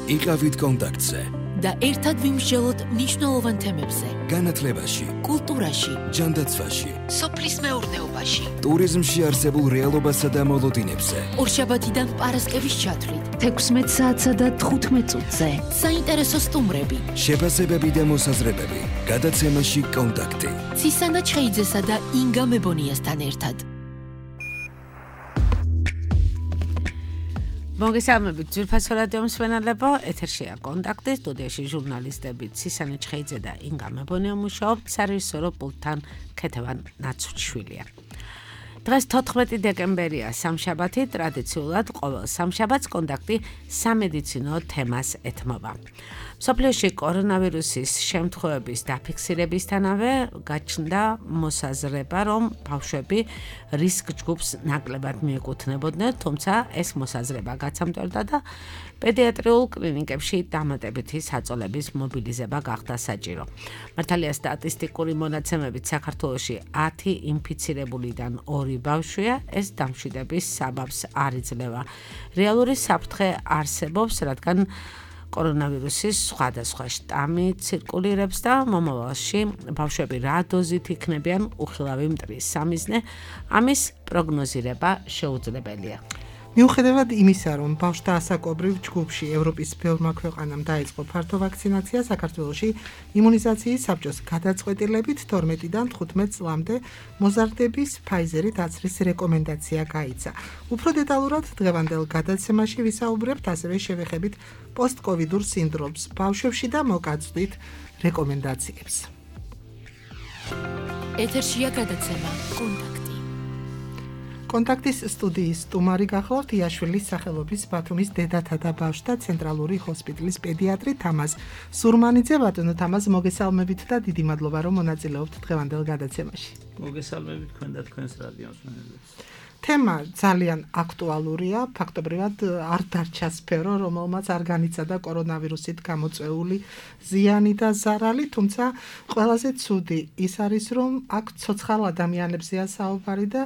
იყავით კონტაქტზე და ერთად ვიმსჯელოთ მნიშვნელოვან თემებზე. განათლებაში, კულტურაში, ჯანდაცვაში, სოფლის მეურნეობაში, ტურიზმში არსებულ რეალობასა და მოლოდინებზე. ორშაბათიდან პარასკევის ჩათვლით, 16 საათსა და 15 წუთზე. საინტერესო სტუმრები, შეფასებები და მოსაზრებები. გადაცემაში კონტაქტი. ცისანა ჩხეიძესა და ინგა მებონიასთან ერთად. მოგესალმებით ძვირფასო რადიო მსმენელებო, ეთერშია კონტაქტი, სტუდიაში ჟურნალისტები ცისანა ჩხეიძე და ინგა მებონია მუშაობთ, სარეჟისორო პულტთან ქეთევან ნაცუჩიშვილია. დღეს 14 დეკემბერია, სამშაბათი, ტრადიციულად ყოველ სამშაბათს კონტაქტი სამედიცინო თემას ეთმობა. მსოფლიოში კორონავირუსის შემთხვევების დაფიქსირებისთანავე გაჩნდა მოსაზრება, რომ ბავშვები რისკ ჯგუფს ნაკლებად მიეკუთვნებოდნენ, თუმცა ეს მოსაზრება გაცამტვერდა და პედიატრიულ კლინიკებში დამატებითი საწოლების მობილიზება გახდა საჭირო. მართალია სტატისტიკური მონაცემებით საქართველოში 10 ინფიცირებულიდან 2 ბავშვია, ეს დამშვიდების საბაბს არ იძლევა. რეალური საფრთხე არსებობს, რადგან კორონავირუსის სხვადასხვა შტამი ცირკულირებს და მომავალში ბავშვები რა დოზით იქნებიან უხილავი მტრის სამიზნე, ამის პროგნოზირება შეუძლებელია. მიუხედავად იმისა, რომ ბავშვთა ასაკობრივ ჯგუფში ევროპის ბევრმა ქვეყანამ დაიწყო ფართო ვაქცინაცია, საქართველოში იმუნიზაციის საბჭოს გადაწყვეტილებით 12-დან 15 წლამდე მოზარდების ფაიზერით აცრის რეკომენდაცია გაიცა. უფრო დეტალურად დღევანდელ გადაცემაში ვისაუბრებთ, ასევე შევეხებით პოსტკოვიდურ სინდრომს ბავშვებში და მოგაცვით რეკომენდაციებს. ეთერშია გადაცემა კონტაქტი. კონტაქტის სტუდიის სტუმარი გახლავთ იაშვილის სახელობის ბათუმის დედათა და ბავშვთა ცენტრალური ჰოსპიტალის პედიატრი თამაზ სურმანიძე. ბატონო თამაზ, მოგესალმებით და დიდი მადლობა, რომ მონაწილეობთ დღევანდელ გადაცემაში. მოგესალმებით თქვენ და თქვენს რადიო მსმენელებს. თემა ძალიან აქტუალურია, ფაქტობრივად არ დარჩა სფერო, რომელმაც არ განიცადა კორონავირუსით გამოწვეული ზიანი და ზარალი, თუმცა ყველაზე ცუდი ის არის, რომ აქ ცოცხალ ადამიანებზეა საუბარი და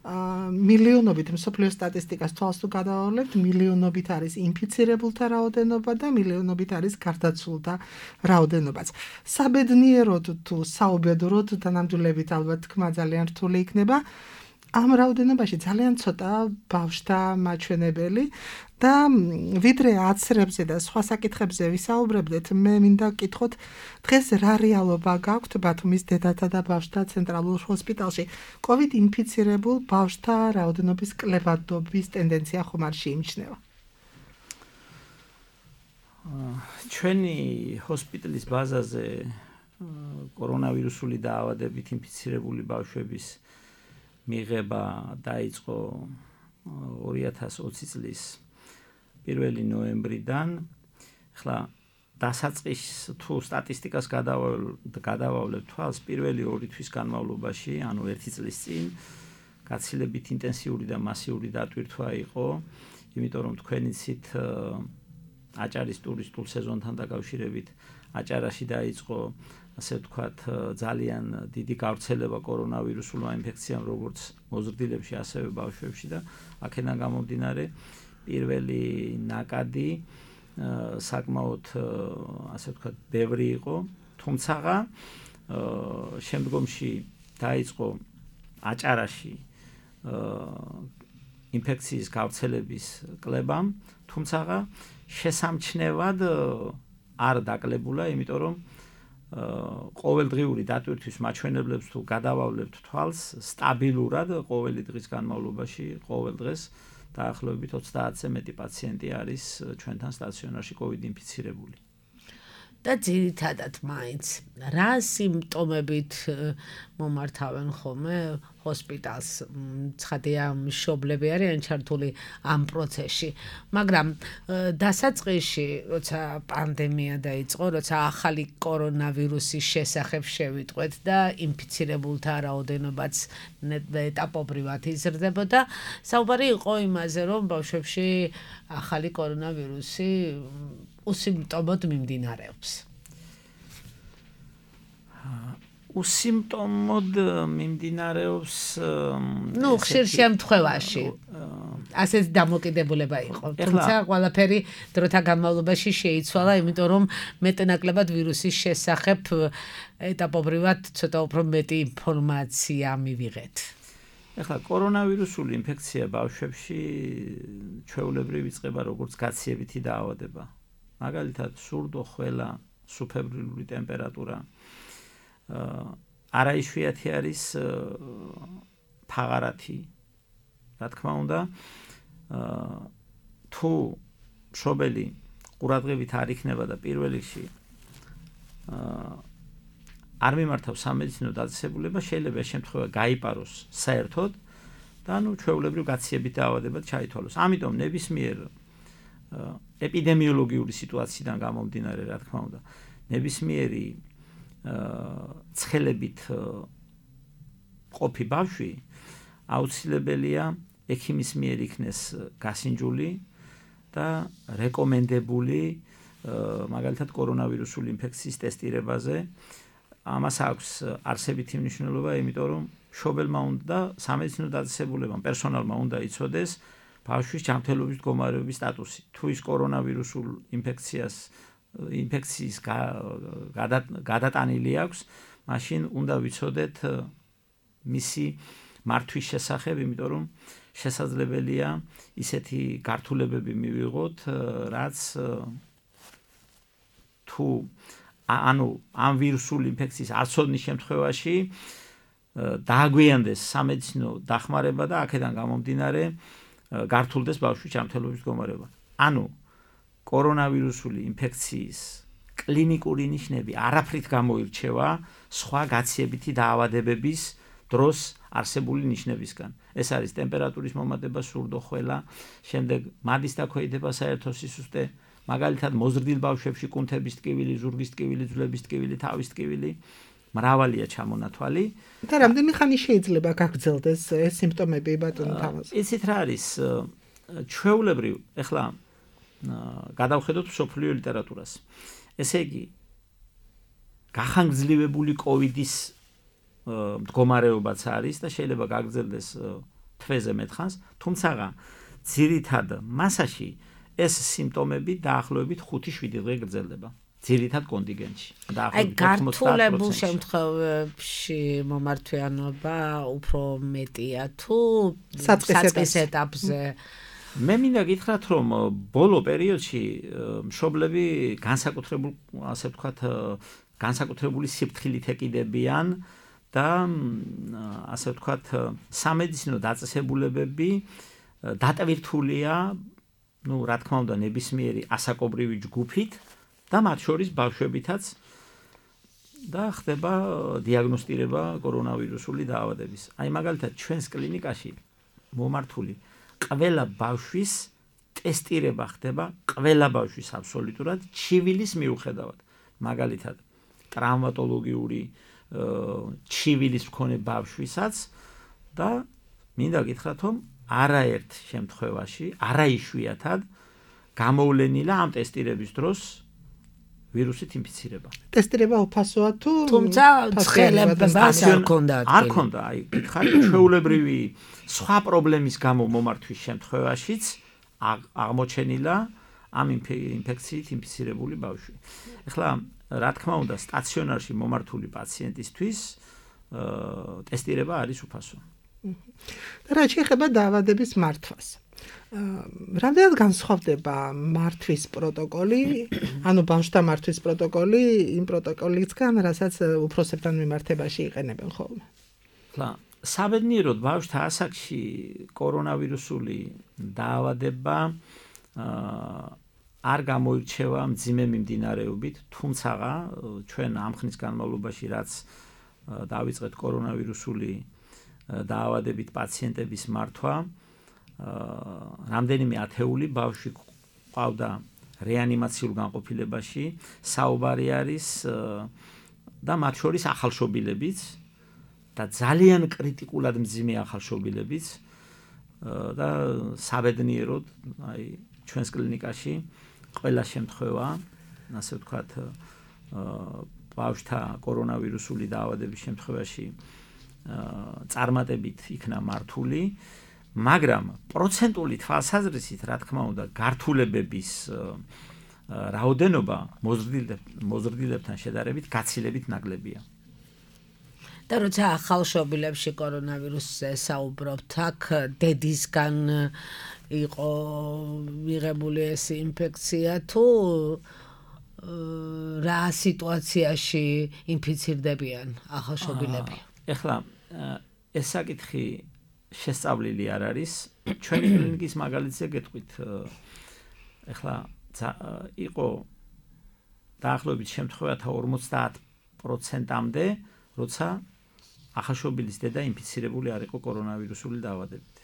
მილიონობით მსოფლიო სტატისტიკას თვალს თუ გადავავლებთ, მილიონობით არის ინფიცირებულთა რაოდენობა და მილიონობით არის გარდაცვლილთა რაოდენობაც. საბედნიეროდ თუ საუბედუროდ და ნამდვილებით ალბათ თქმა ძალიან რთული იქნება. ამ რაოდენობაში ძალიან ცოტა ბავშვთა მაჩვენებელი და ვიდრე აცრებზე და სხვა საკითხებზე ვისაუბრებდეთ, მე მინდა გკითხოთ, დღეს რა რეალობა გაქვთ ბათუმის დედათა და ბავშვთა ცენტრალურ ჰოსპიტალში? COVID ინფიცირებულ ბავშვთა რაოდენობის კლებადობის ტენდენცია ხომ არ შეიმჩნევა? ჩვენი ჰოსპიტალის ბაზაზე კორონავირუსული დაავადებით ინფიცირებული ბავშვების მიღება დაიწყო 2020 წლის 1 ნოემბრიდან. ახლა დასაწყის თუ სტატისტიკას გადავავლებ თვალს, პირველი 2 თვის განმავლობაში, ანუ 1 წლის წინ, გაცილებით ინტენსიური და მასიური დატვირთვა იყო, იმიტომ რომ თქვენ იცით აჭარის ტურისტულ სეზონთან დაკავშირებით აჭარაში დაიწყო, ასე ვთქვათ, ძალიან დიდი გავრცელება კორონავირუსულმა ინფექციამ, როგორც მოზრდილებში, ასევე ბავშვებში და აქედან გამომდინარე პირველი ნაკადი საკმაოდ, ასე ვთქვათ, ბევრი იყო, თუმცა შემდგომში დაიწყო აჭარაში ინფექციის გავრცელების კლება, თუმცა შესამჩნევად არ დაკლებულა, იმიტომ რომ ყოველდღიური დატვირთვის მაჩვენებლებს თუ გადავავლებთ თვალს, სტაბილურად ყოველი დღის განმავლობაში, ყოველ დღეს დაახლოებით 30-ზე მეტი პაციენტი არის ჩვენთან სტაციონარში COVID ინფიცირებული. და ძირითადად მაინც რა სიმპტომებით მომართავენ ხოლმე ჰოსპიტალს? ცხადია, მშობლები არიან ჩართული ამ პროცესში, მაგრამ დასაწყისში, როცა პანდემია დაიწყო, როცა ახალი კორონავირუსის შესახებ შევიტყვეთ და ინფიცირებულთა რაოდენობაც ეტაპობრივად იზრდებოდა, საუბარი იყო იმაზე, რომ ბავშვებში ახალი კორონავირუსი უსიმპტომოდ მიმდინარეობს. უსიმპტომოდ მიმდინარეობს ხშირ შემთხვევაში ასეთ დამოკიდებულება იყო. თუმცა ყველაფერი დროთა განმავლობაში შეიცვალა, იმიტომ რომ მეტნაკლებად ვირუსის შესახებ ეტაპობრივად ცოტა უფრო მეტი ინფორმაცია მივიღეთ. ეხლა კორონავირუსული ინფექცია ბავშვებში ჩვეულებრივ იწყება როგორც გაციებითი დაავადება. მაგალითად, სურდო, ხველა, სუფებრილური ტემპერატურა. არაიშვიათი არის ფაღარათი. რა თქმა უნდა, თუ მშობელი ყურადღებით არ იქნება და პირველ რიგში არ მიმართავს სამედიცინო დაწესებულება, შეიძლება შემთხვევა გაიპაროს საერთოდ და ჩვეულებრივ გაციებით დაავადებად ჩაითვალოს. ამიტომ ნებისმიერ ეპიდემიოლოგიური სიტუაციიდან გამომდინარე, რა თქმა უნდა, ნებისმიერი ცხელებით ყოფი ბავშვი აუცილებელია ექიმის მიერ იქნეს გასინჯული და რეკომენდებული მაგალითად კორონავირუსული ინფექციის ტესტირებაზე. ამას აქვს არსებითი მნიშვნელობა, იმიტომ რომ მშობელმა უნდა სამედიცინო დაწესებულებამ პერსონალმა უნდა იცოდეს ბავშვის ჯანმრთელობის მდგომარეობის სტატუსი. თუ ის კორონავირუსულ ინფექციის გადატანილი აქვს, მაშინ უნდა ვიცოდეთ მისი მართვის შესახებ, იმიტომ რომ შესაძლებელია ისეთი გართულებები მივიღოთ, რაც თუ ამ ვირუსული ინფექციის არცოდნის შემთხვევაში დააგვიანდეს სამედიცინო დახმარება და აქედან გამომდინარე გართულდეს ბავშვის ჯანმრთელობის მდგომარეობა. ანუ კორონავირუსული ინფექციის კლინიკური ნიშნები არაფრით გამოირჩევა სხვა გაციებითი დაავადებების დროს არსებული ნიშნებისგან. ეს არის ტემპერატურის მომატება, სურდო, ხველა, შემდეგ მადის დაქვეითება საერთო სისუსტე, მაგალითად მოზრდილ ბავშვებში კუნთების ტკივილი, ზურგის ტკივილი, ძვლების ტკივილი, თავის ტკივილი, მრავალია ჩამონათვალი. და რამდენი ხანი შეიძლება გაგრძელდეს ეს სიმპტომები ბატონო თამაზ? იცით რა არის? ჩვეულებრივ, ეხლა გადავხედოთ მსოფლიო ლიტერატურას. ესე იგი, გახანგრძლივებული კოვიდის მდგომარეობაც არის და შეიძლება გაგრძელდეს თვეზე მეტხანს, თუმცა ძირითად მასაში ეს სიმპტომები დაახლოებით 5-7 დღე გრძელდება. ძირითად კონტინგენტში. აი გართულებულ შემთხვევებში მომართვიანობა უფრო მეტია თუ საწყის ეტაპზე. მე მინდა გითხრათ, რომ ბოლო პერიოდში მშობლები განსაკუთრებულ, ასე ვთქვათ, განსაკუთრებული სიფრთხილით ეკიდებიან და ასე ვთქვათ, სამედიცინო დაწესებულებები დატვირთულია, რა თქმა უნდა, ნებისმიერი ასაკობრივი ჯგუფით და მათ შორის ბავშვებითაც და ხდება დიაგნოსტირება კორონავირუსული დაავადების. აი მაგალითად ჩვენს კლინიკაში მომართული ყველა ბავშვის ტესტირება ხდება, ყველა ბავშვის აბსოლუტურად ჩივილის მიუხედავად. მაგალითად ტრავმატოლოგიური ჩივილის მქონე ბავშვისაც და მინდა გითხრათ, რომ არაერთ შემთხვევაში, არაიშვიათად გამოვლენილა ამ ტესტირების დროს ვირუსით ინფიცირება. ტესტირება უფასოა თუ თუმცა ცხელებას არ ქონდა. არ ქონდა, აი გითხარით, ჩვეულებრივი სხვა პრობლემის გამო მომართვის შემთხვევაშიც აღმოჩენილა ამ ინფექციით ინფიცირებული ბავშვი. ეხლა რა თქმა უნდა, სტაციონარში მომართული პაციენტისთვის ტესტირება არის უფასო. რა შეიძლება დაავადების მართვას? რამდენად განსხვავდება მართვის პროტოკოლი, ანუ ბავშვთა მართვის პროტოკოლი იმ პროტოკოლისგან, რასაც უფროსებთან მიმართებაში იყენებენ ხოლმე? ხლა, საბედნიეროდ ბავშვთა ასაკში კორონავირუსული დაავადება არ გამოირჩევა მძიმე მიმდინარეობით, თუმცა ჩვენ ამ ხნის განმავლობაში რაც დავიწყეთ კორონავირუსული დაავადებით პაციენტების მართვა, რამდენიმე ათეული ბავშვი ყავდა რეანიმაციულ განყოფილებაში, საუბარი არის და მათ შორის ახალშობილებიც და ძალიან კრიტიკულად მძიმე ახალშობილებიც და საბედნიეროდ აი ჩვენს კლინიკაში ყველა შემთხვევა, ასე ვთქვათ, ბავშვთა კორონავირუსული დაავადების შემთხვევაში წარმატებით იქნა მართული, მაგრამ პროცენტული თვალსაზრისით, რა თქმა უნდა, გართულებების რაოდენობა მოზრდილებთან შედარებით გაცილებით ნაკლებია. და როცა ახალშობილებში კორონავირუსზე საუბრობთ, აქ დედისგან იყო მიღებული ეს ინფექცია თუ რა სიტუაციაში ინფიცირდებიან ახალშობილები? ეხლა ეს საკითხი შესწავლილი არ არის. ჩვენი კლინიკის მაგალითზე გეტყვით, ეხლა იყო დაახლოებით შემთხვევათა 50%-მდე, როცა ახალშობილის დედა ინფიცირებული არ იყო კორონავირუსული დაავადებით.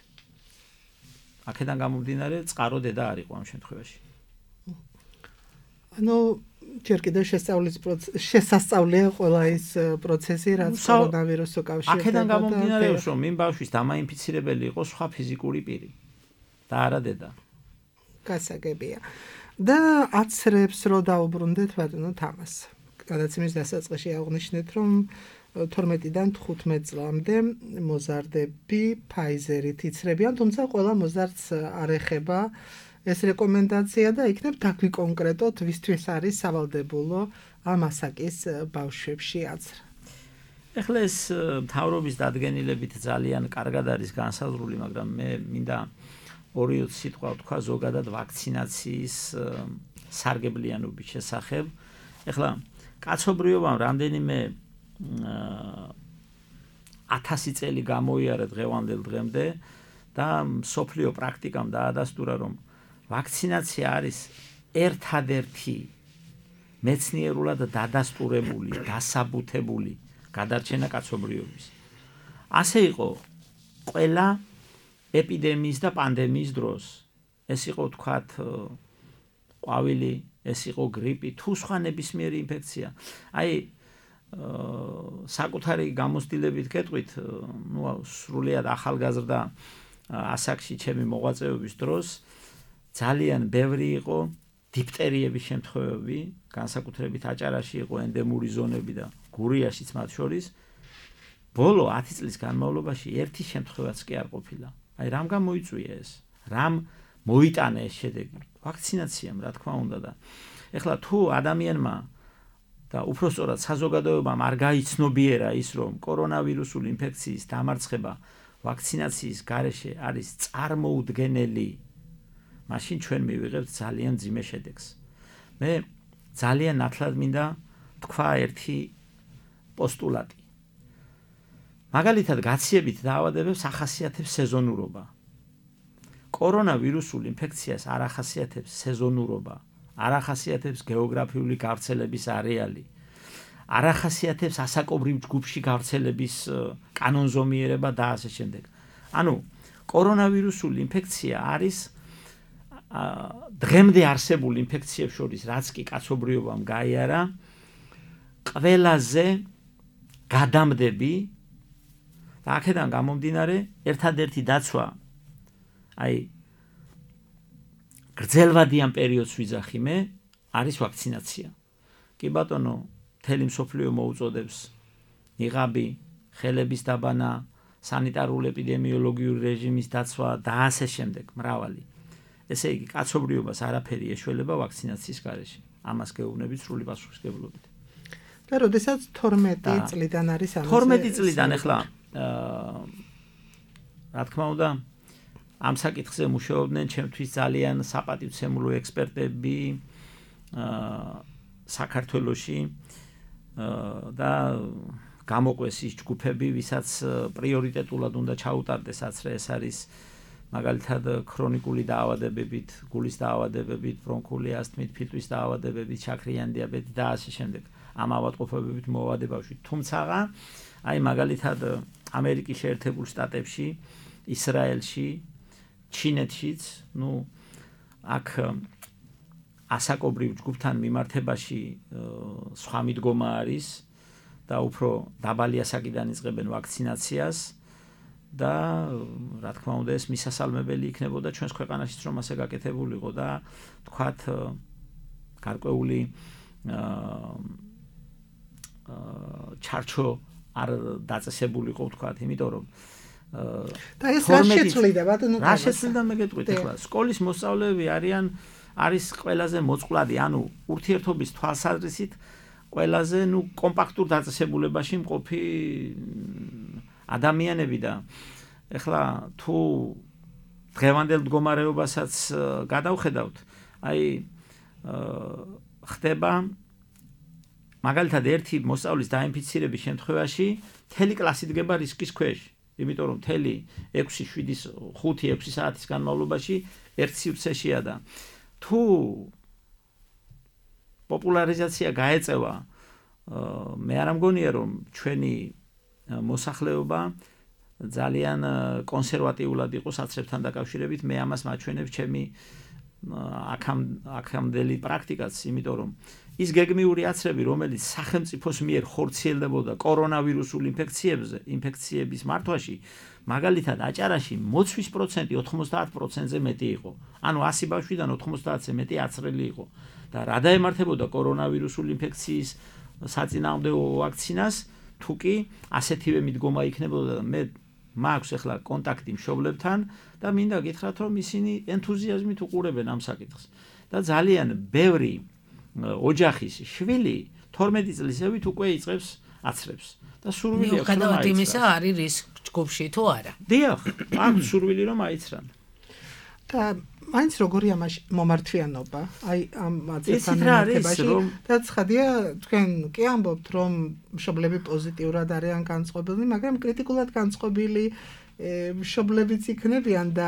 აქედან გამომდინარე, წყარო დედა არ იყო ამ შემთხვევაში. ანუ ჯერ კიდევ შესასწავლია ყველა ის პროცესი, რაც კორონავირუსს უკავშირდება. აქედან გამომდინარეობს, რომ იმ ბავშვის დამაინფიცირებელი იყო სხვა ფიზიკური პირი და არა დედა. გასაგებია. და აცრებს რო დაუბრუნდეთ ბატონო თამას. გადაცემის დასაწყისში აღნიშნეთ, რომ 12-დან 15 წლამდე მოზარდები Pfizer-ით იცრებიან, თუმცა ყველა მოზარდს არ ეხება ეს რეკომენდაცია და იქნებ დაგვიკონკრეტოთ, ვისთვის არის სავალდებულო ამ ასაკის ბავშვებში აცრა. ეხლა ეს მთავრობის დადგენილებით ძალიან კარგად არის განსაზღვრული, მაგრამ მე მინდა ორი სიტყვა ვთქვა ზოგადად ვაქცინაციის სარგებლიანობის შესახებ. ეხლა კაცობრიობამ რამდენიმე 1000 წელი გამოიარა დღევანდელ დღემდე და მსოფლიო პრაქტიკამ დაადასტურა, რომ ვაქცინაცია არის ერთადერთი მეცნიერულად დადასტურებული, დასაბუთებული გადარჩენა კაცობრიობის. ასე იყო ყველა ეპიდემიის და პანდემიის დროს. ეს იყო თქვათ ყვავილი, ეს იყო გრიპი, თუ სხვა ნებისმიერი ინფექცია. აი საკუთარი გამოცდილებით გეტყვით, სრულიად ახალგაზრდა ასაკში ჩემი მოღვაწეობის დროს ძალიან ბევრი იყო დიფტერიების შემთხვევები, განსაკუთრებით აჭარაში იყო ენდემური ზონები და გურიაშიც მათ შორის. ბოლო 10 წლის განმავლობაში ერთი შემთხვევაც კი არ ყოფილა. აი რამ გამოიწვია ეს? რამ მოიტანა ეს შედეგი? ვაქცინაციამ, რა თქმა უნდა და ეხლა თუ ადამიანმა და უпростоრად საზოგადოებამ არ გაიცნობიერა ის, რომ კორონავირუსული ინფექციის დამარცხება ვაქცინაციის გარეშე არის წარმოუდგენელი, მაშინ ჩვენ მივიღებთ ძალიან მძიმე შედეგს. მე ძალიან ნათლად მინდა თქვა ერთი პოსტულატი. მაგალითად, გაციებით დაავადებებს ახასიათებს სეზონურობა. კორონავირუსულ ინფექციას არ ახასიათებს სეზონურობა, არ ახასიათებს გეოგრაფიული გავრცელების არეალი, არ ახასიათებს ასაკობრივ ჯგუფში გავრცელების კანონზომიერება და ასე შემდეგ. ანუ კორონავირუსული ინფექცია არის დღემდე არსებულ ინფექციებს შორის, რაც კი კაცობრიობამ გაიარა, ყველაზე გადამდები და აქედან გამომდინარე ერთადერთი დაცვა, აი გრძელვადიან პერიოდს ვიძახი მე, არის ვაქცინაცია. კი ბატონო, მთელი მსოფლიო მოუწოდებს ნიღაბი, ხელების დაბანა, სანიტარული ეპიდემიოლოგიური რეჟიმის დაცვა და ასე შემდეგ, მრავალი. ესე იგი, კაცობრიობას არაფერი ეშველება ვაქცინაციის გარეშე. ამას გეუბნებით სრული პასუხისმგებლობით. და როდესაც 12 წლიდან არის ამაზე 12 წლიდან ეხლა რა თქმა უნდა ამ საკითხზე მუშაობდნენ ჩემთვის ძალიან საპატივცემულო ექსპერტები საქართველოში და გამოყვეს ის ჯგუფები, ვისაც პრიორიტეტულად უნდა ჩაუტარდეს აცრე, ეს არის მაგალითად ქრონიკული დაავადებებით, გულის დაავადებებით, ბრონქული ასთმით, ფილტვის დაავადებებით, შაქრიანი დიაბეტით და ასე შემდეგ. ამ ავადმყოფობებით მოვალე ბავშვი. თუმცა აი მაგალითად ამერიკის შეერთებულ შტატებში, ისრაელში, ჩინეთშიც, აქ ასაკობრივ ჯგუფთან მიმართებაში სხვა მიდგომა არის და უფრო დაბალი ასაკიდან იწყებენ ვაქცინაციას და რა თქმა უნდა ეს მისასალმებელი იქნებოდა ჩვენს ქვეყანაშიც რომ ასე გაკეთებულიყო და თქვათ გარკვეული ჩარჩო არ დაწესებულიყო ვთქვათ, იმიტომ რომ და ეს რა შეცვლიდა ბატონო? რა შეცვლიდა მე გეტყვით ახლა სკოლის მოსწავლეები არის ყველაზე მოწყვლადი, ანუ ურთიერთობის თვალსაზრისით ყველაზე კომპაქტურ დაწესებულებაში მყოფი ადამიანები და ახლა თუ დღევანდელ მდგომარეობასაც გადავხედავთ, ხდება მაგალითად ერთი მოსწავლის დაინფიცირების შემთხვევაში მთელი კლასი დგება რისკის ქვეშ, იმიტომ რომ მთელი 5-6 საათის განმავლობაში ერთ სივრცეშია და თუ პოპულარიზაცია გაეწევა, მე არ მგონია რომ ჩვენი მოსახლეობა ძალიან კონსერვატიულად იყო საცრებთან დაკავშირებით, მე ამას მაჩვენებ ჩემი აქამდელი პრაქტიკაც, იმიტომ რომ ის გეგმიური აცრები, რომელიც სახელმწიფოს მიერ ხორციელდებოდა კორონავირუსულ ინფექციების მართვაში, მაგალითად აჭარაში მოცვის პროცენტი 90%-ზე მეტი იყო. ანუ 100 ბავშვიდან 90-ზე მეტი აცრელი იყო. და რა დაემართებოდა კორონავირუსული ინფექციის საწინააღმდეგო ვაქცინას, თუ კი ასეთივე მიდგომა იქნებოდა და მე მაქვს ახლა კონტაქტი მშობლებთან და მინდა გითხრათ რომ ისინი ენთუზიაზმით უყურებენ ამ საკითხს. და ძალიან ბევრი ოჯახის შვილი 12 წლისევით უკვე იწყებს აცრებს და სურვილი აქვს რომ აიცრან. იმისა არის რისკ ჯგუფში თუ არა? დიახ, აქვს სურვილი რომ აიცრან. და მაინც როგორია მაშინ მომართვიანობა? აი ამ აცრებთან მიმართებაში და ცხადია თქვენ კი ამბობთ რომ მშობლები პოზიტიურად არიან განწყობილნი, მაგრამ კრიტიკულად განწყობილი მშობლებიც იქნებიან და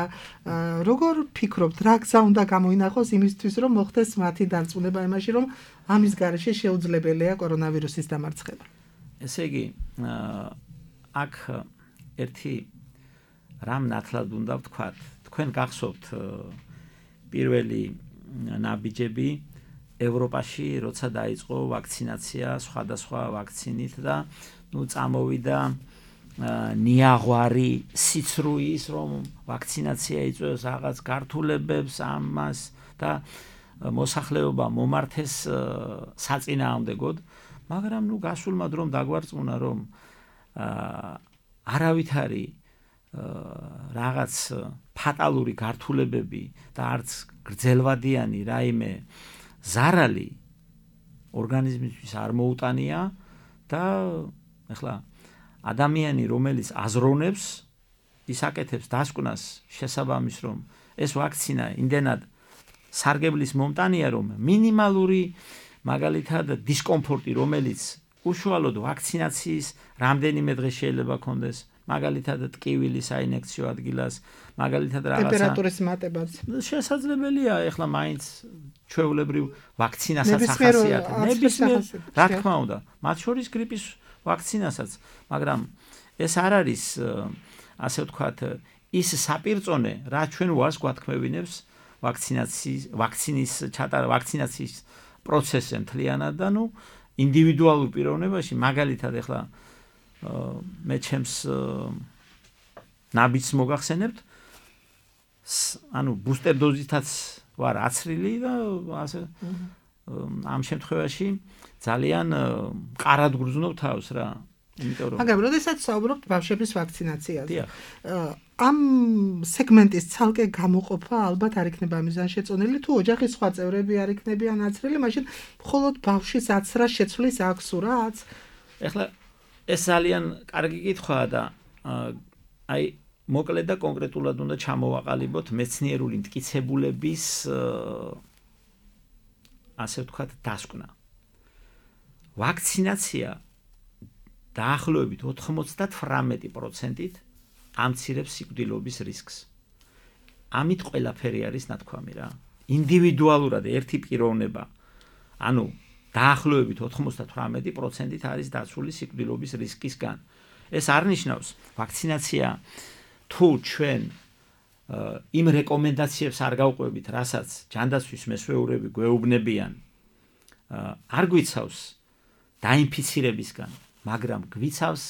როგორ ფიქრობთ, რა გზა უნდა გამოინახოს იმისთვის, რომ მოხდეს მათი დარწმუნება იმაში, რომ ამის გარეშე შეუძლებელია კორონავირუსის დამარცხება? ესე იგი, აქ ერთი რამ ნათლად უნდა ვთქვათ. თქვენ გახსოვთ პირველი ნაბიჯები ევროპაში, როცა დაიწყო ვაქცინაცია სხვადასხვა ვაქცინით და წამოვიდა ნიაღვარი სიცრუის, რომ ვაქცინაცია იწვევს რაღაც გართულებებს ამას და მოსახლეობა მომართეს საწინააღმდეგოდ, მაგრამ გასულმა დრომ დაგვარწმუნა, რომ არავითარი რაღაც ფატალური გართულებები და არც გრძელვადიანი რაიმე ზარალი ორგანიზმისთვის არ მოუტანია და ახლა ადამიანი რომელიც აზროვნებს ის აკეთებს დასკვნას შესაბამის რომ ეს ვაქცინა იმდენად სარგებლის მომტანია რომ მინიმალური მაგალითად დისკომფორტი რომელიც უშუალოდ ვაქცინაციის რამდენიმე დღე შეიძლება კონდეს მაგალითად ტკივილი საინექციო ადგილას მაგალითად რაღაცა ტემპერატურის მატებაც შესაძლებელია ეხლა მაინც ჩვეულებრივ ვაქცინასაც ახასიათებს ნებისმიერ რა თქმა უნდა მათ შორის გრიპის ვაქცინასაც მაგრამ ეს არ არის ასე ვთქვათ ის საპირწონე რა ჩვენ ვარს გვათქმევინებს ვაქცინაციის პროცესზე მთლიანად და ინდივიდუალურ პიროვნებაში მაგალითად ეხლა მე ჩემს ნაბიჯს მოგახსენებთ ანუ ბუსტერ დოზითაც ვარ აცრილი და ასე ამ შემთხვევაში ძალიან მყარად გრძნობ თავს რა იმიტომ რომ მაგრამ როდესაც საუბრობთ ბავშვების ვაქცინაციაზე ამ სეგმენტის ცალკე გამოყოფა ალბათ არ იქნება მიზანშეწონილი თუ ოჯახის სხვა წევრები არ იქნებიან აცრილი მაშინ მხოლოდ ბავშვის აცრა შეცვლის აქვს რაც ეხლა ეს ძალიან კარგი კითხვაა და აი მოკლედ და კონკრეტულად უნდა ჩამოვაყალიბოთ მეცნიერული მტკიცებულების ასე ვთქვათ დასკვნა. ვაქცინაცია დაახლოებით 98%-ით ამცირებს სიკვდილობის რისკს. ამით ყველაფერი არის ნათქვამი რა. ინდივიდუალურად ერთი პიროვნება ანუ დაახლოებით 98%-ით არის დაცული სიკვდილობის რისკისგან. ეს არ ნიშნავს ვაქცინაცია თუ ჩვენ იმ რეკომენდაციებს არ გავყვებით, რასაც ჯანდაცვის მესვეურები გვეუბნებიან, არ გვიცავს დაინფიცირებისგან, მაგრამ გვიცავს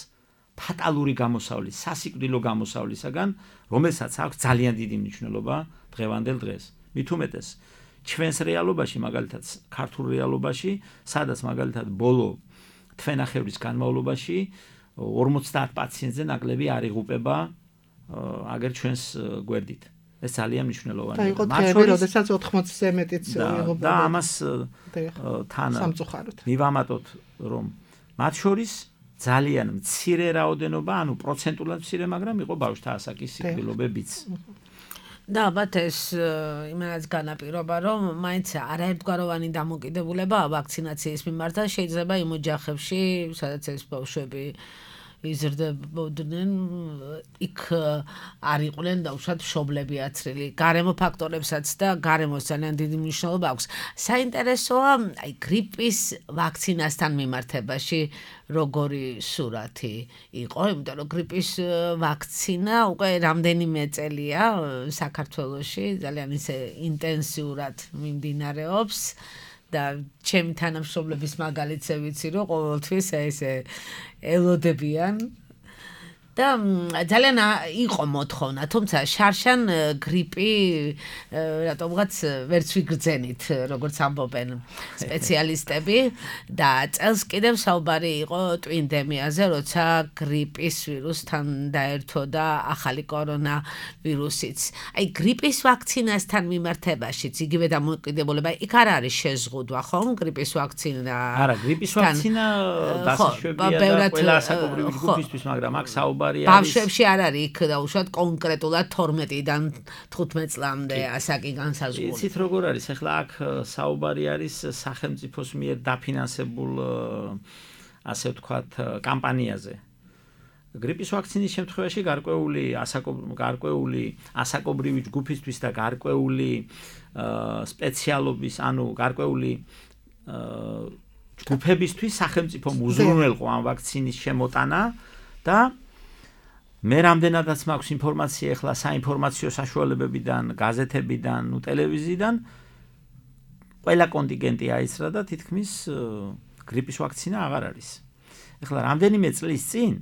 ფატალური გამოსავლის, სასიკვდილო გამოსავლისაგან, რომელსაც აქვს ძალიან დიდი მნიშვნელობა დღევანდელ დღეს. მით უმეტეს ჩვენს რეალობაში, მაგალითად ქართულ რეალობაში, სადაც მაგალითად ბოლო თვენახევრის განმავლობაში 50 პაციენტზე ნაკლები არ იღუპება აგერ ჩვენს გვერდით. ეს ძალიან მნიშვნელოვანია. და იყო დღეები, როდესაც 80-ზე მეტიც იღუპება. და ამას თან სამწუხაროდ მივამატოთ, რომ მათ შორის ძალიან მცირე რაოდენობა, ანუ პროცენტულად მცირე, მაგრამ იყო ბავშვთა ასაკის სიკვდილობებიც. და ალბათ ეს იმენაც განაპირობა, რომ მაინც არაერთგვაროვანი დამოკიდებულებაა ვაქცინაციის მიმართ, შეიძლება იმ ოჯახებში, სადაც ეს ბავშვები იზრდებოდნენ, იქ არ იყვნენ დაუშვათ მშობლები აცრილი. გარემო ფაქტორებსაც და გარემოს ძალიან დიდი მნიშვნელობა აქვს. საინტერესოა, აი გრიპის ვაქცინასთან მიმართებაში როგორი სურათი იყო, იმიტომ რომ გრიპის ვაქცინა უკვე რამდენიმე წელია საქართველოში ძალიან ისე ინტენსიურად მიმდინარეობს. და ჩემი თანამშრომლების მაგალითზე ვიცი, რომ ყოველთვის ესე ელოდებიან და ძალიან იყო მოთხოვნა, თუმცა შარშან გრიპი რატომღაც ვერც ვიგრძენით, როგორც ამბობენ სპეციალისტები და წელს კიდევ საუბარი იყო ტვინდემიაზე, როცა გრიპის ვირუსთან დაერთო და ახალი კორონა ვირუსიც. აი გრიპის ვაქცინასთან მიმართებაშიც იგივე დამოკიდებულება იქ არ არის შეზღუდვა, ხომ? გრიპის ვაქცინა. არა, გრიპის ვაქცინა დასაშვებია და ყველა ასაკობრივი ჯგუფისთვის, მაგრამ აქ საუბარი ბავშვებში არ არის იქ დაუშვათ კონკრეტულად 12-დან 15 წლამდე ასაკი განსაზღვრული. იცით როგორ არის? ახლა აქ საუბარი არის სახელმწიფოს მიერ დაფინანსებულ ასე ვთქვათ კამპანიაზე. გრიპის ვაქცინის შემთხვევაში გარკვეული ასაკობრივი ჯგუფისთვის და გარკვეული სპეციალობის, ანუ გარკვეული ჯგუფებისთვის სახელმწიფომ უზრუნველყო ამ ვაქცინის შემოტანა და მე რამდენადაც მაქვს ინფორმაცია ახლა საინფორმაციო საშუალებებიდან, გაზეთებიდან, ტელევიზიიდან, ყველა კონტინგენტი აიცრა და თითქმის გრიპის ვაქცინა აღარ არის. ახლა რამდენიმე წლის წინ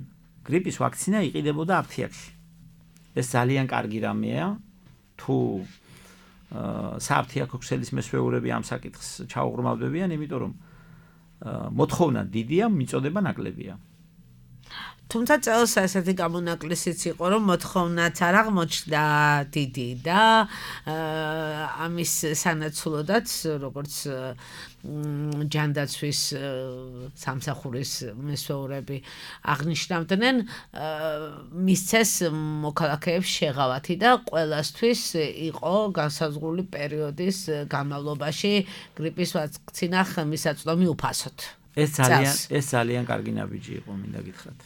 გრიპის ვაქცინა იყიდებოდა აფთიაქში. ეს ძალიან კარგი რამეა, თუ სააფთიაქო ქსელის მესვეურები ამ საკითხს ჩაუღრმავდებიან, იმიტომ რომ მოთხოვნა დიდია, მიწოდება ნაკლებია. თუმცა წელს ასეთი გამონაკლისიც იყო, რომ მოთხოვნაც არ აღმოჩნდა დიდი და ამის სანაცვლოდაც, როგორც ჯანდაცვის სამსახურის მესვეურები აღნიშნავდნენ, მისცეს მოქალაქეებს შეღავათი და ყველასთვის იყო განსაზღვრული პერიოდის განმავლობაში გრიპის ვაქცინა ხელმისაწვდომი უფასოდ. ეს ძალიან კარგი ნაბიჯი იყო, მინდა გითხრათ.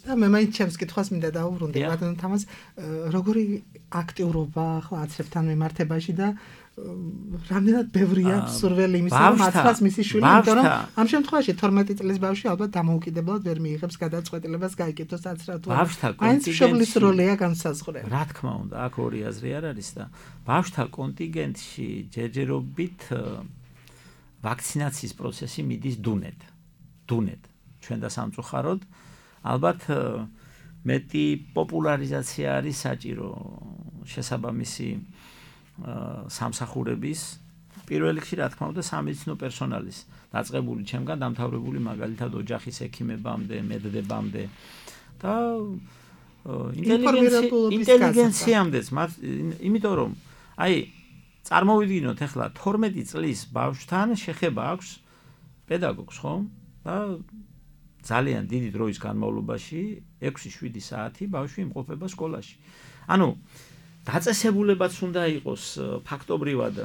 და მე მაინც ჩემს კითხვას მინდა დაუბრუნდე ბატონ თამაზ, როგორი აქტიურობა ახლა აცრებთან მიმართებაში და რამდენად ბევრია სურველი იმის, რომ აცრას მისი შვილი, იმიტომ რომ ამ შემთხვევაში 12 წლის ბავშვი ალბათ დამოუკიდებლად ვერ მიიღებს გადაწყვეტილებას გაიკეთოს აცრა თუ არა. მაინც მშობლის როლია განსაზღვრელი. რა თქმა უნდა, აქ ორი აზრი არ არის და ბავშვთა კონტინგენტში ჯერჯერობით ვაქცინაციის პროცესი მიდის დუნედ. ჩვენ და სამწუხაროდ ალბათ მეტი პოპულარიზაცია არის საჭირო შესაბამისი სამსახურების, პირველ რიგში რა თქმა უნდა სამედიცინო პერსონალის, დაწყებული ჩემგან დამთავრებული მაგალითად ოჯახის ექიმებამდე, მედდებამდე და ინტელიგენციამდეც, იმიტომ რომ აი წარმოვიდგინოთ ახლა 12 წლის ბავშვთან შეხება აქვს პედაგოგს, ხო? და ძალიან დიდი დროის განმავლობაში 6-7 საათი ბავშვი იმყოფება სკოლაში. ანუ დაწესებულებაც უნდა იყოს ფაქტობრივად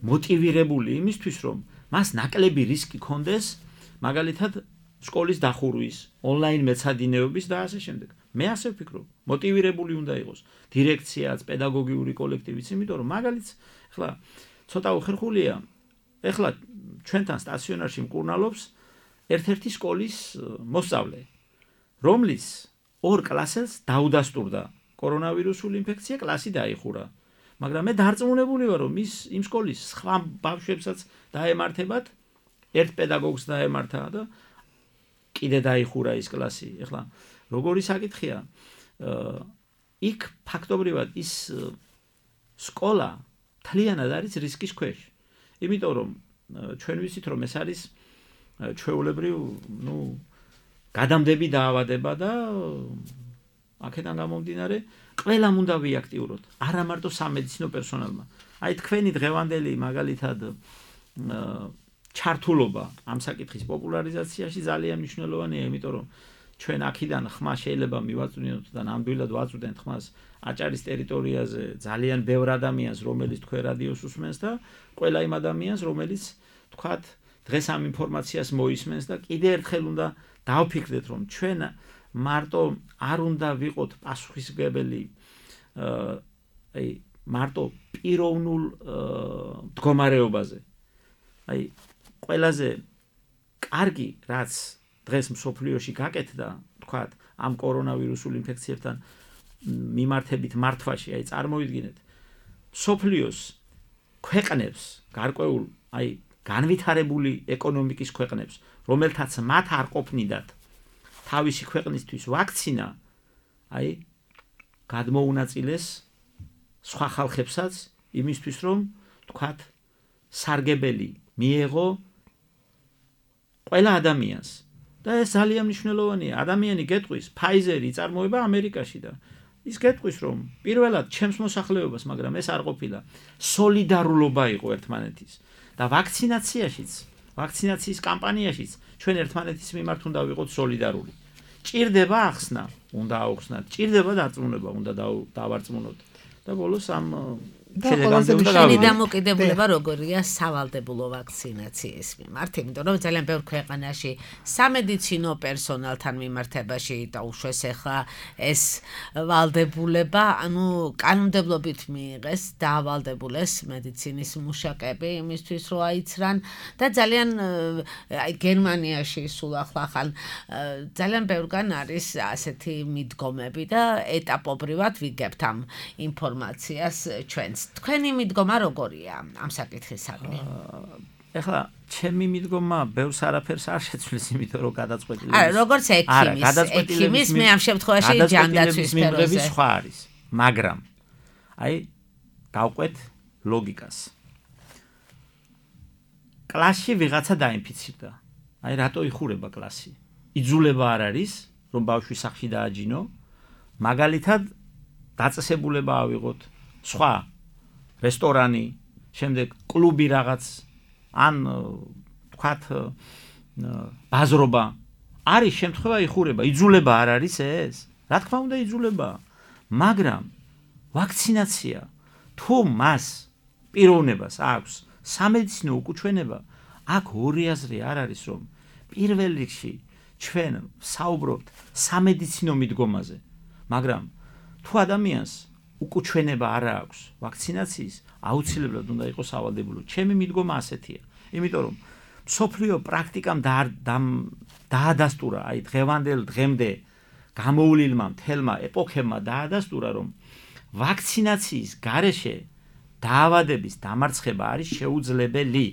მოტივირებული იმისთვის, რომ მას ნაკლები რისკი კონდეს, მაგალითად სკოლის დახურვის, ონლაინ მეცადინეობის და ასე შემდეგ. მე ასე ვფიქრობ, მოტივირებული უნდა იყოს დირექციაც, პედაგოგიური კოლექტივიც, იმიტომ რომ მაგალითს ახლა ცოტა უხერხულია, ახლა ჩვენთან სტაციონარში მკურნალობს ერთ-ერთი სკოლის მოსწავლე, რომლის 2 კლასელს დაუდასტურდა კორონავირუსული ინფექცია, კლასი დაიხურა. მაგრამ მე დარწმუნებული ვარ, რომ იმ სკოლის სხვა ბავშვებსაც დაემართებათ, ერთ პედაგოგს დაემართა და კიდე დაიხურა ის კლასი. ახლა როგორი საკითხია? იქ ფაქტობრივად ის სკოლა თლიანად არის რისკის ქვეშ. იმიტომ რომ ჩვენ ვიცით, რომ ეს არის ჩვეულებრივ, გადამდები დაავადება და აქედან გამომდინარე ყველამ უნდა ვიაქტიუროთ, არა მარტო სამედიცინო პერსონალმა. აი თქვენი დღევანდელი მაგალითად ჩართულობა ამ საკითხის პოპულარიზაციაში ძალიან მნიშვნელოვანია, იმიტომ რომ ჩვენ აქედან ხმა შეიძლება მივაწვდინოთ და ნამდვილად ვაწვდენთ ხმას აჭარის ტერიტორიაზე ძალიან ბევრ ადამიანს, რომელიც თქვენ რადიოს უსმენს და ყველა იმ ადამიანს, რომელიც თქვათ დღეს ამ ინფორმაციას მოისმენს და კიდე ერთხელ უნდა დავფიქრდეთ, რომ ჩვენ მარტო არ უნდა ვიყოთ პასუხისმგებელი აი მარტო პიროვნულ მდგომარეობაზე. აი ყველაზე კარგი რაც დღეს მსოფლიოში გაკეთდა, თქვათ, ამ კორონავირუსულ ინფექციებთან მიმართებით მართვაში, აი წარმოვიდგინეთ, მსოფლიოს ქვეყნებს, გარკვეულ აი განვითარებული ეკონომიკის ქვეყნებს, რომელთაც მათ არ ყოფნიდათ თავისი ქვეყნისთვის ვაქცინა, აი გადმოუნაწილეს სხვა ხალხებსაც იმისთვის, რომ თქვათ, სარგებელი მიეღო ყველა ადამიანს. და ეს ძალიან მნიშვნელოვანია. ადამიანი გეტყვის, Pfizer-ი იწარმოება ამერიკაში და ის გეტყვის, რომ პირველად ჩემს მოსახლეობას, მაგრამ ეს არ ყოფილა სოლიდარულობა იყო ერთმანეთის და ვაქცინაციის კამპანიაშიც ჩვენ ერთმანეთის მიმართ უნდა ვიყოთ სოლიდარული. ჭირდება ახსნა, უნდა აუხსნათ, ჭირდება დარწმუნება, უნდა დავარწმუნოთ. და ბოლოს ამ შენი დამოკიდებულება როგორია სავალდებულო ვაქცინაციის მიმართ, იმიტომ რომ ძალიან ბევრ ქვეყანაში სამედიცინო პერსონალთან მიმართებაში დაუშვეს ახლა ეს ვალდებულება, ანუ კანონმდებლობით მიიღეს დაავალდებულეს მედიცინის მუშაკები იმისთვის, რომ აიცრან და ძალიან აი გერმანიაში სულ ახლა ძალიან ბევრგან არის ასეთი მიდგომები და ეტაპობრივად ვიგებთ ამ ინფორმაციას ჩვენს. თქვენი მიდგომა როგორია ამ საკითხისადმი? ეხლა ჩემი მიდგომა ბევრს არაფერს არ შეცვლის, იმიტომ რომ გადაწყვეტილების არა, როგორც ექიმის მე ამ შემთხვევაში ჯანდაცვის სფეროზე სხვა არის, მაგრამ აი გავყვეთ ლოგიკას. კლასში ვიღაცა დაინფიცირდა. აი რატო იხურება კლასი? იძულება არ არის, რომ ბავშვი სახლში დააჯინო, მაგალითად დაწესებულება ავიღოთ სხვა რესტორანი, შემდეგ კლუბი რაღაც, ან თქვათ ბაზრობა. არის შემთხვევა იხურება, იძულება არ არის ეს? რა თქმა უნდა იძულება. მაგრამ ვაქცინაცია თუ მას პიროვნებას აქვს სამედიცინო უკუჩვენება, აქ ორი აზრი არ არის, რომ პირველ რიგში ჩვენ საუბრობთ სამედიცინო მიდგომაზე, მაგრამ თუ ადამიანს უკუჩვენება არ აქვს ვაქცინაციის, აუცილებლად უნდა იყოს სავალდებულო. ჩემი მიდგომა ასეთია. იმიტომ რომ მსოფლიო პრაქტიკამ დაადასტურა, აი დღევანდელ დღემდე გამოვლილმა მთელმა ეპოქებმა დაადასტურა, რომ ვაქცინაციის გარეშე დაავადების დამარცხება არის შეუძლებელი.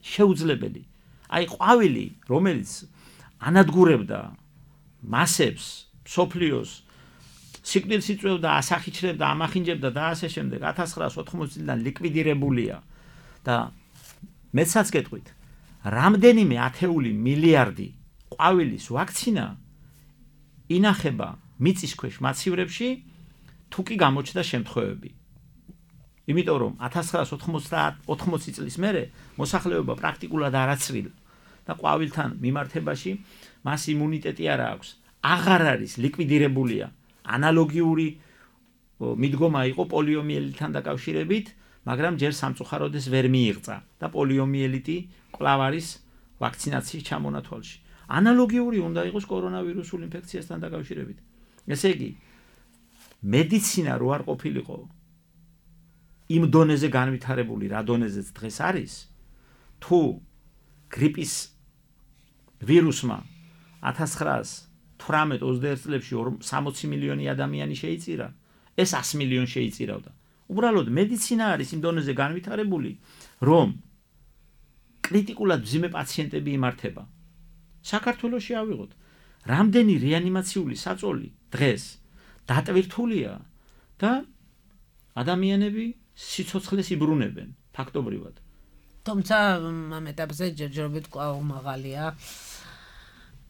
შეუძლებელი. აი ყვავილი, რომელიც ანადგურებდა მასებს, მსოფლიოს სიკვდილს იწვევდა, ასახიჩრებდა, ამახინჯებდა და ასე შემდეგ 1980 წლიდან ლიკვიდირებულია და მეცაც გეტყვით, რამდენიმე ათეული მილიარდი ყვავილის ვაქცინა ინახება მიწის ქვეშ მაცივრებში, თუ კი გამოჩნდა შემთხვევები. იმიტომ რომ 1980 წლის მერე მოსახლეობა პრაქტიკულად არაცრილა და ყვავილთან მიმართებაში მას იმუნიტეტი არ აქვს. აღარ არის ლიკვიდირებულია. ანალოგიური მიდგომა იყო პოლიომიელიტთან დაკავშირებით, მაგრამ ჯერ სამწუხაროდეს ვერ მიიღწა და პოლიომიელიტი კვლავ არის ვაქცინაციის ჩამონათვალში. ანალოგიური უნდა იყოს კორონავირუსულ ინფექციასთან დაკავშირებით. ესე იგი, მედიცინა რო არ ყოფილიყო იმ დონეზე განვითარებული, რა დონეზეც დღეს არის, თუ გრიპის ვირუსმა 1918-21 წლებში 60 მილიონი ადამიანი შეიწირა, ეს 100 მილიონი შეიწირავდა. უბრალოდ მედიცინა არის იმ დონეზე განვითარებული, რომ კრიტიკულად მძიმე პაციენტები იმართება. საქართველოში ავიღოთ, რამდენი რეანიმაციული საწოლი დღეს დატვირთულია და ადამიანები სიცოცხლეს იბრუნებენ ფაქტობრივად. თუმცა ამ ეტაპზე ჯერჯერობით კვლავ მაღალია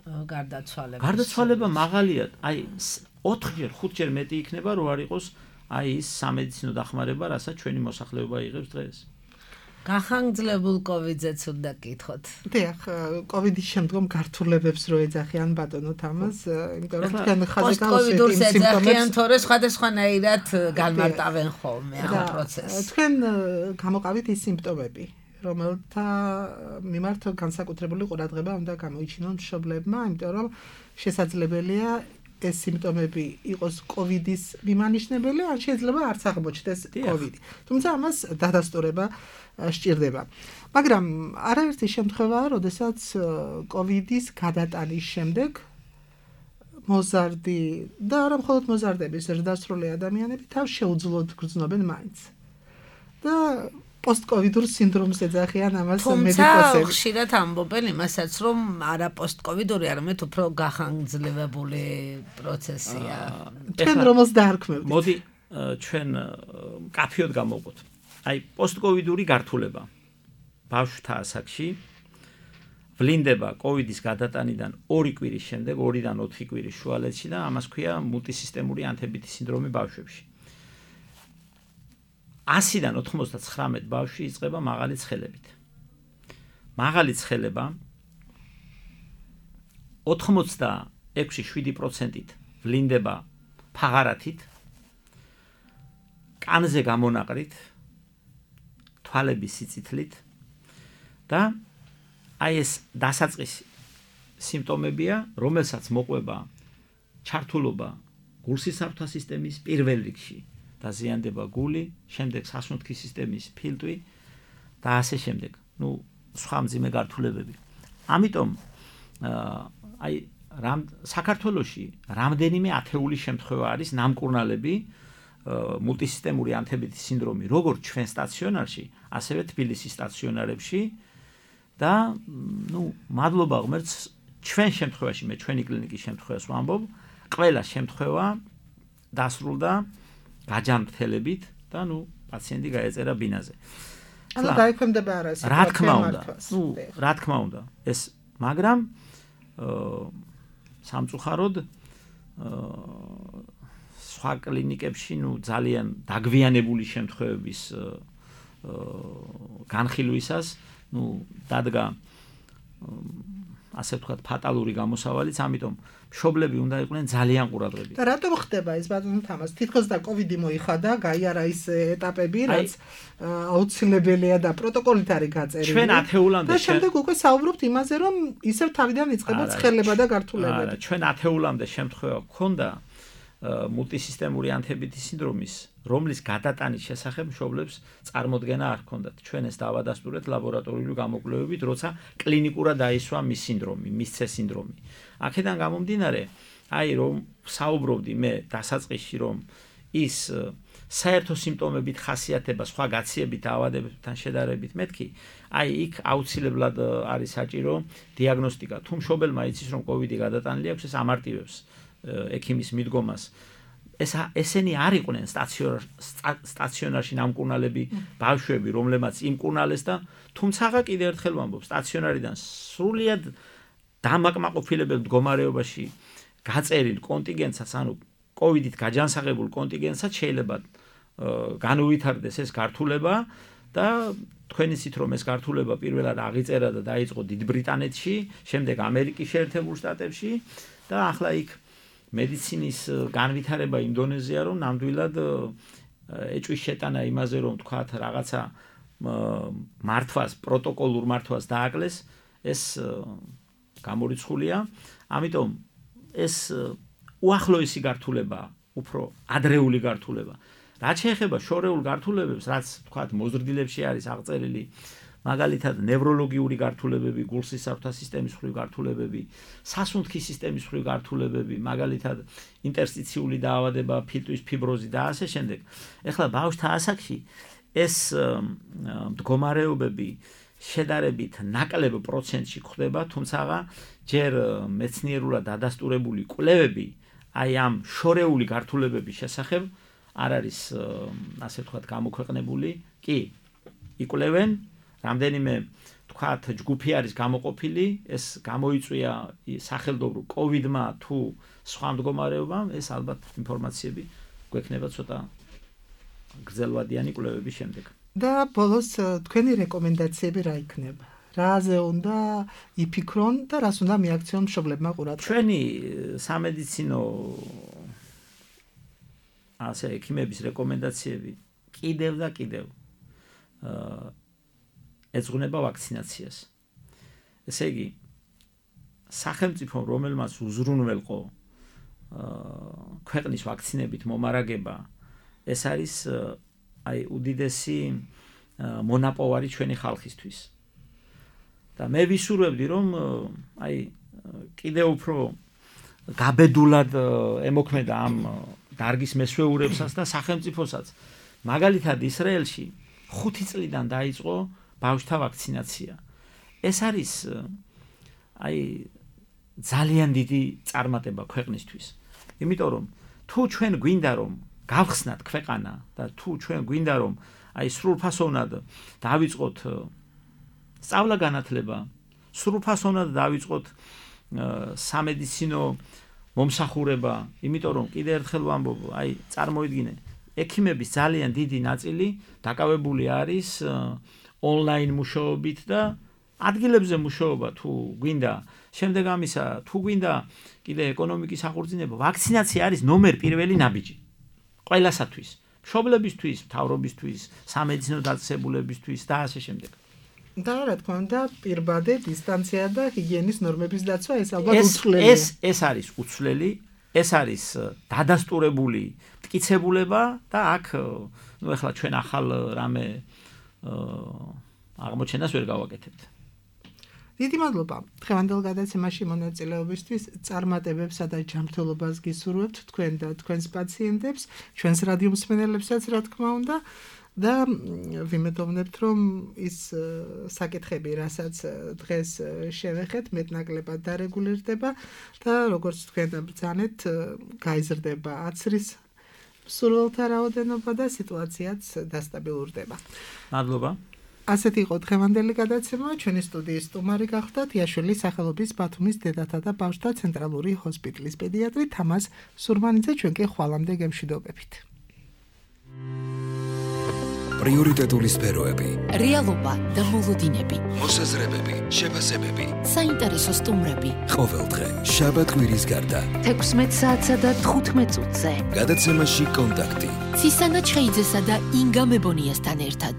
გარდაცვალება მაღალია, აი 4-ჯერ, 5-ჯერ მეტი იქნება, რო არ იყოს აი ის სამედიცინო დახმარება, რასაც ჩვენი მოსახლეობა იღებს დღეს. გახანგრძლebul COVID-ზეც უნდა გითხოთ. დიახ, COVID-ის შემდგომ გართულებებს რო ეძახიან ბატონო თამაზ, იმიტომ რომ თქვენ ხაზე გავუსვით იმ სიმპტომებს, თორე სხვადასხვანაირად განმარტავენ ხოლმე ამ პროცესს. თქვენ გამოყავით ის სიმპტომები, რომელთა მიმართ განსაკუთრებული ყურადღება უნდა გამოიჩინონ მშობლებმა, იმიტომ რომ შესაძლებელია ეს სიმპტომები იყოს COVID-ის მიმანიშნებელი, ან შეიძლება არც აღმოჩნდეს COVID. თუმცა ამას დადასტურება სჭირდება. მაგრამ არაერთი შემთხვევაა, როდესაც COVID-ის გადატანის შემდეგ მოზარდი და არა მხოლოდ მოზარდების ზრდასრული ადამიანები თავს შეუძლოდ გრძნობენ მაინც. და პოსტ-კოვიდურ სინდრომს ეძახიან ამას მედიკოსები. თუმცა ხშირად ამბობენ იმასაც, რომ არა პოსტ-კოვიდური, არამედ უფრო გახანგრძლებული პროცესია. თქვენ რომელს დაარქმევთ? მოდი ჩვენ კაფეოდ გამოვყოთ. აი პოსტ-კოვიდური გართულება ბავშვთა ასაკში ვლინდება COVID-ის გადატანიდან 2 კვირის შემდეგ, 2-დან 4 კვირის შუალედში და ამას ქვია მულტისისტემური ანთებითი სინდრომი ბავშვებში. 100-დან 99 ბავშვი იწყება მაღალი ცხელებით. მაღალი ცხელება 86-7%-ით ვლინდება ფაღარათით, კანზე გამონაყრით, თვალების სიწითლით და აი ეს დასაწყისი სიმპტომებია, რომელსაც მოყვება ჩართულობა გულსისაფრთა სისტემის პირველ რიგში. დაზიანდება გული, შემდეგ სასუნთქის სისტემის ფილტვი და ასე შემდეგ. სხვა მძიმე გართულებები. ამიტომ აი საქართველოში რამდენიმე ათეული შემთხვევა არის ნამკურნალები მულტისისტემური ანთებითი სინდრომი, როგორც ჩვენ სტაციონარში, ასევე თბილისის სტაციონარებში და მადლობა ღმერთს ჩვენ შემთხვევაში, მე ჩვენი კლინიკის შემთხვევას ვამბობ, ყველა შემთხვევა დასრულდა გაჯანმრთელებით და პაციენტი გაეწერა ბინაზე. ანუ დაიქვემდება არა სიტუაცია მართვას. რა თქმა უნდა, ეს მაგრამ სამწუხაროდ სხვა კლინიკებში ძალიან დაგვიანებული შემთხვევების განხილვისას დადგა ასე ვთქვათ ფატალური გამოსავალიც, ამიტომ მშობლები უნდა იყვნენ ძალიან ყურადღებით. და რატომ ხდება ეს ბატონო თამაზ? თითქოს და COVID-ი მოიხადა, გაიარა ის ეტაპები, რაც აუცილებელია და პროტოკოლით არის გაწერილი. ჩვენ ათეულამდე და შემდეგ უკვე საუბრობთ იმაზე, რომ ისევ თავიდან იწყება ცხელება და გართულებები. არა, ჩვენ ათეულამდე შემთხვევა გქონდა მულტისისტემური ანთებითი სინდრომის, რომლის გადატანის შესახებ მშობლებს წარმოდგენა არ ჰქონდათ. ჩვენ ეს დავადასტურეთ ლაბორატორიული გამოკვლევებით, როცა კლინიკურად დაისვა მის სინდრომი, მის C სინდრომი. აქედან გამომდინარე, აი რომ საუბრობდი მე დასაწყისში, რომ ის საერთო სიმპტომებით ხასიათება სხვა გაციებით დაავადებებთან შედარებით მეთქი, აი იქ აუცილებლად არის საჭირო დიაგნოსტიკა. თუ მშობელმა იცის, რომ COVID-ი გადატანილი აქვს, ეს ამარტივებს ექიმის მიდგომას. ესენი არ იყვნენ სტაციონარში ნამკურნალები ბავშვები, რომლებმაც იმკურნალეს და თუმცა კიდევ ერთხელ ვამბობ, სტაციონარიდან სრულიად დამაკმაყოფილებელ მდგომარეობაში გაწერილ კონტინგენტსაც, ანუ COVID-ით გაჯანსაღებულ კონტინგენტსაც შეიძლება განუვითარდეს ეს გართულება და თქვენ იცით, რომ ეს გართულება პირველად აღიწერა და დაიწყო დიდ ბრიტანეთში, შემდეგ ამერიკის შეერთებულ შტატებში და ახლა იქ მედიცინის განვითარება იმ დონეზეა, რომ ნამდვილად ეჭვის შეტანა იმაზე, რომ თქვათ რაღაცა მართვას, პროტოკოლურ მართვას დააკლეს, ეს გამორიცხულია. ამიტომ ეს უახლოესი გართულებაა, უფრო ადრეული გართულება. რაც შეეხება შორეულ გართულებებს, რაც თქვათ მოზრდილებში არის აღწერილი, მაგალითად ნევროლოგიური გართულებები, გულსისაფრთა სისტემის მხრივ გართულებები, სასუნთქის სისტემის მხრივ გართულებები, მაგალითად ინტერსტიციული დაავადება, ფილტვის ფიბროზი და ასე შემდეგ. ეხლა ბავშვთა ასაკში ეს მდგომარეობები შედარებით ნაკლებ პროცენტში ხდება, თუმცა ჯერ მეცნიერულად დადასტურებული კვლევები აი ამ შორეული გართულებების შესახებ არ არის ასე ვთქვათ გამოქვეყნებული. კი, იკვლევენ რამდენიმე თქვათ ჯგუფი არის გამოყოფილი, ეს გამოიწვია სახელმწიფო COVID-მა თუ სხვა მდგომარეობამ, ეს ალბათ ინფორმაციები გვექნება ცოტა გრძელვადიანი კვლევების შემდეგ. და ბოლოს თქვენი რეკომენდაციები რა იქნება? რაზე უნდა იფიქრონ და რას უნდა მიაქციონ მშობლებმა ყურადღება? ჩვენი სამედიცინო ექიმების რეკომენდაციები კიდევ და კიდევ ეძღვნება ვაქცინაციას. ესე იგი, სახელმწიფომ რომელმაც უზრუნველყო ქვეყნის ვაქცინებით მომარაგება, ეს არის უდიდესი მონაპოვარი ჩვენი ხალხისთვის. და მე ვისურვებდი, რომ კიდევ უფრო გაბედულად ემოქმედა ამ დარგის მესვეურებსაც და სახელმწიფოსაც. მაგალითად ისრაელში 5 წლიდან დაიწყო ბავშვთა ვაქცინაცია. ეს არის ძალიან დიდი წარმატება ქვეყნისთვის. იმიტომ რომ თუ ჩვენ გვინდა რომ გავხსნათ ქვეყანა და თუ ჩვენ გვინდა რომ სრულფასოვნად დავიწყოთ სწავლა-განათლება, სრულფასოვნად დავიწყოთ სამედიცინო მომსახურება, იმიტომ რომ კიდევ ერთხელ ვამბობ, წარმოიდგინე, ექიმების ძალიან დიდი ნაწილი დაკავებული არის ონლაინ მუშაობით და ადგილებზე მუშაობა თუ გვინდა, შემდეგ ამისა თუ გვინდა კიდე ეკონომიკის აღორძინება, ვაქცინაცია არის ნომერ პირველი ნაბიჯი ყველასათვის, მშობლებისთვის, მთავრობისთვის, სამედიცინო დაწესებულებისთვის და ასე შემდეგ. და რა თქმა უნდა, პირბადე, დისტანცია და ჰიგიენის ნორმების დაცვა ეს ალბათ უცვლელია. ეს არის უცვლელი, ეს არის დადასტურებული მტკიცებულება და აქ ეხლა ჩვენ ახალ რამე აღმოჩენას ვერ გავაკეთებთ. დიდი მადლობა. დღევანდელ გადაცემაში მონაწილეობისთვის წარმატებებსა და ჯანმრთელობას გისურვებთ თქვენ და თქვენს პაციენტებს, ჩვენს რადიო მსმენელებსაც რა თქმა უნდა. და ვიმედოვნებთ, რომ ის საკითხები, რასაც დღეს შევეხეთ, მეტნაკლებად დარეგულირდება და როგორც თქვენ ბრძანეთ, გაიზრდება აცრის მსურველთა რაოდენობა და სიტუაციაც დასტაბილურდება. მადლობა. ასეთი იყო დღევანდელი გადაცემა. ჩვენი სტუდიის სტუმარი გახდა თიაშვილის სახელობის ბათუმის დედათა და ბავშვთა ცენტრალური ჰოსპიტალის პედიატრი თამაზ სურმანიძე. ჩვენ კი ხვალამდე გემშვიდობებით. პრიორიტეტული სფეროები, რეალობა და მოლოდინები, მოსაზრებები, შეფასებები, საინტერესო სტუმრები. ყოველდღე შაბათ-კვირის გარდა 16 საათსა და 15 წუთზე. გადაცემაში კონტაქტი. ცისანა ჩხეიძესა და ინგა მებონიასთან ერთად.